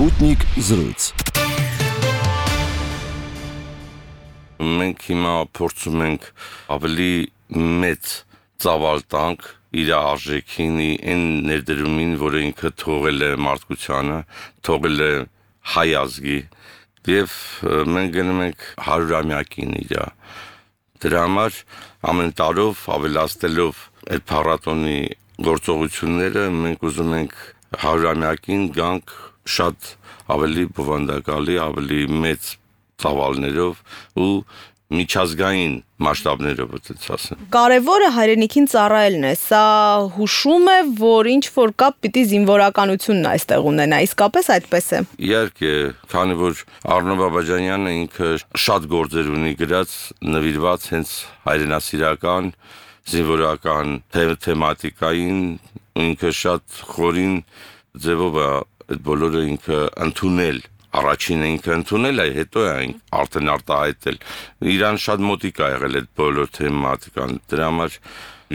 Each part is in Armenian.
Sputnik զրույց։ Մենք հիմա փորձում ենք ավելի մեծ ծավալ տանք իր արժեքին, այն ներդրումին, որը ինքը թողել է մարդկությանը, թողել է հայ ազգի, եւ մենք գնում ենք 100-ամյակին իր։ Դրա համար ամեն տարով ավելացնելով այդ փառատոնի գործողությունները մենք ուզում ենք 100-ամյակին գանք շատ ավելի բովանդակալի, ավելի մեծ ծավալներով ու միջազգային մասշտաբներով ասեմ։ Կարևորը հայրենիքին ծառայելն է, սա հուշում է, որ ինչ-որ կապ պիտի զինվորականությունն այստեղ ունենա, իսկապես այդպես է։ Իհարկե, քանի որ Առնո Բաբաջանյանը ինքը շատ գործեր ունի գրած, նվիրված հենց հայրենասիրական, զինվորական թեմատիկային, ինքը շատ խորին ձևով է այդ բոլորը ինքը ընդունել։ Առաջինը ինքը ընդունել է, հետո է արդեն արտահայտել։ Իրան շատ մոտիկ է եղել այդ բոլոր թեմատիկան։ Դրա համար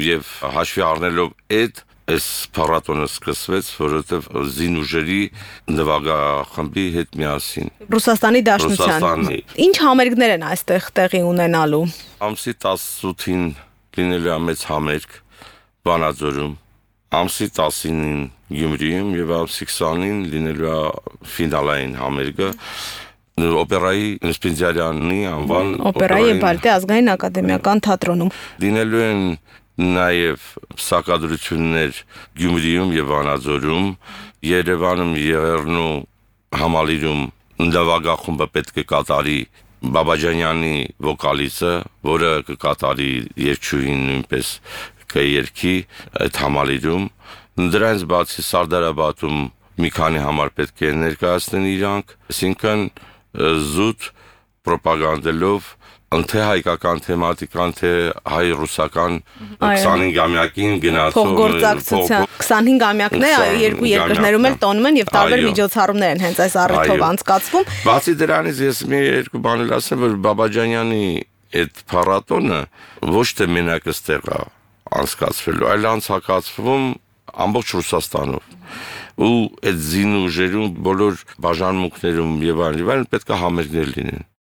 եւ հաշվի առնելով այս փառատոնը սկսվեց, որովհետեւ զինուժերի նվագախմբի հետ միասին։ Ռուսաստանի Դաշնության։ Ինչ համերգներ են այստեղ տեղի ունենալու։ Ամսի 18-ին լինելու է մեծ համերգ Վանաձորում, ամսի 19-ին Գյումրիում եւ ամսի 20-ին լինելու է ֆինալային համերգը օպերայի Սպենդիարյանի անվան օպերայի եւ բալետի ազգային ակադեմիական թատրոնում։ Լինելու են նաեւ սակադրություններ Գյումրիում եւ Վանաձորում, Երևանում, Եղեռնու համալիրում նվագախումբը պետք է կատարի Բաբաջանյանի վոկալիստը, որը կկատարի երգչուհին նույնպես կերքի այդ համալիրում։ Դրանից բացի Սարդարաբադում մի քանի համար պետք է ներկայացնեն իրանք, այսինքն զուտ պրոպագանդելով թե հայկական թեմատիկան, թե հայ-ռուսական 25-ամյակին գնացող փոխգործակցության 25-ամյակն է, երկու երկրներում էլ տոնում են եւ տարբեր միջոցառումներ են հենց այս առիթով անցկացվում։ Բացի դրանից ես մի երկու բան էլ ասեմ, որ Բաբաջանյանի այդ փառատոնը ոչ թե մենակ այստեղ է անցկացվելու, այլ անցկացվում ամբողջ Ռուսաստանով։ Ու այդ զինուժերում բոլոր բաժանմունքներում եւ այլն պետք է համերգներ լինեն։